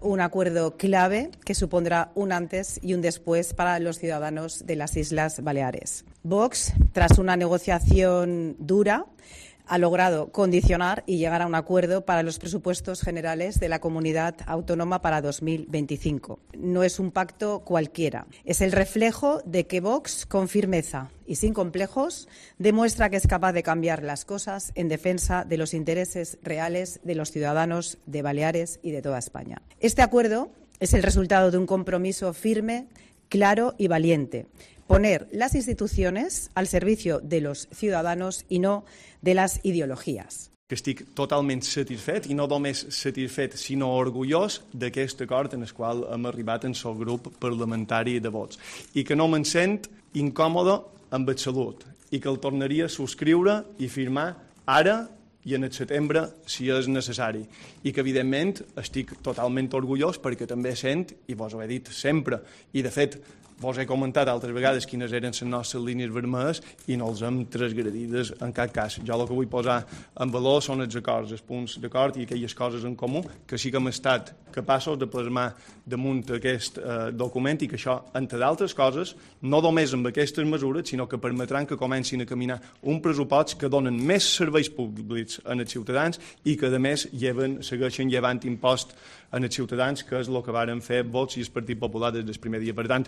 Un acuerdo clave que supondrá un antes y un después para los ciudadanos de las Islas Baleares. Vox, tras una negociación dura, ha logrado condicionar y llegar a un acuerdo para los presupuestos generales de la comunidad autónoma para 2025. No es un pacto cualquiera, es el reflejo de que Vox, con firmeza y sin complejos, demuestra que es capaz de cambiar las cosas en defensa de los intereses reales de los ciudadanos de Baleares y de toda España. Este acuerdo es el resultado de un compromiso firme, claro y valiente. Poner las instituciones al servicio de los ciudadanos i no de les ideologies. Que estic totalment satisfet, i no només satisfet, sinó orgullós d'aquest acord en el qual hem arribat en el grup parlamentari de Vox, i que no me'n sent incòmode amb absolut, i que el tornaria a subscriure i firmar ara i en el setembre, si és necessari. I que, evidentment, estic totalment orgullós perquè també sent, i vos ho he dit sempre, i de fet vos he comentat altres vegades quines eren les nostres línies vermelles i no els hem transgredides en cap cas. Jo el que vull posar en valor són els acords, els punts d'acord i aquelles coses en comú que sí que hem estat capaços de plasmar damunt aquest document i que això, entre d'altres coses, no només amb aquestes mesures, sinó que permetran que comencin a caminar un pressupost que donen més serveis públics als ciutadans i que, a més, segueixen llevant impost en els ciutadans, que és el que varen fer Vox i el Partit Popular des del primer dia. Per tant,